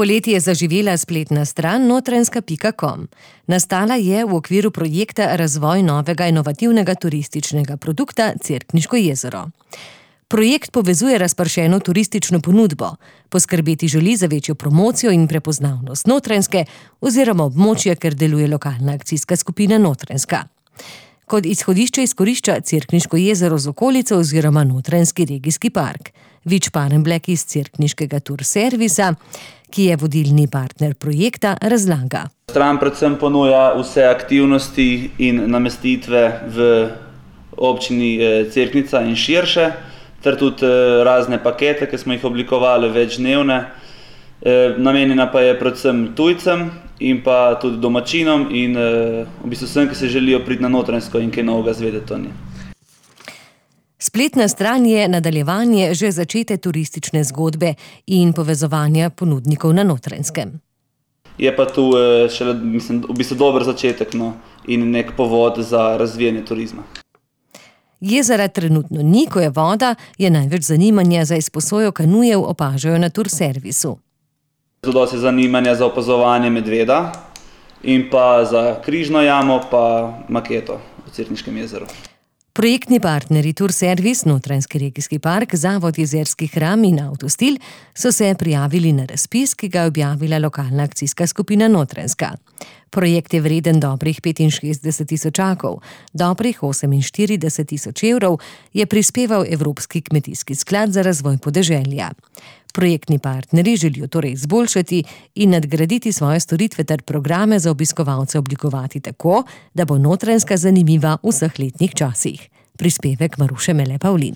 Poleti je zaživela spletna stran notranjska.com. Nastala je v okviru projekta Razvoj novega inovativnega turističnega produkta Cerkniško jezero. Projekt povezuje razpršeno turistično ponudbo, poskrbeti želi za večjo promocijo in prepoznavnost Notranjske oziroma območja, kjer deluje lokalna akcijska skupina Notranjska. Kot izhodišče izkorišča Cerkniško jezero z okolico oziroma Notranjski regijski park. Vič Parenblek iz Cerkniškega turservisa, ki je vodilni partner projekta, razlaga. Stran predvsem ponuja vse aktivnosti in namestitve v občini Cerknica in širše, ter tudi razne pakete, ki smo jih oblikovali večdnevne. Namenjena pa je predvsem tujcem in pa tudi domačinom in v bistvu vsem, ki se želijo priti na Notranjsko in kaj novega zvedeti o njej. Spletna stran je nadaljevanje že začete turistične zgodbe in povezovanja ponudnikov na Notranjskem. Je pa tu šele, v bistvu dober začetek in nek povod za razvijanje turizma. Jezera trenutno ni, ko je voda, je največ zanimanja za izposojo kanujev opažajo na turservisu. Zelo se zanimanja za opazovanje medveda in pa za križno jamo pa maketo v Cerkniškem jezeru. Projektni partnerji Turservis, Notranjski regijski park, Zavod Jezerski hram in Avtostil so se prijavili na razpis, ki ga je objavila lokalna akcijska skupina Notranjska. Projekt je vreden dobrih 65 tisočakov, dobrih 48 tisoč evrov je prispeval Evropski kmetijski sklad za razvoj podeželja. Projektni partnerji želijo torej izboljšati in nadgraditi svoje storitve ter programe za obiskovalce oblikovati tako, da bo Notranjska zanimiva v vseh letnih časih. Prispevek Maruše Mele Pavlin.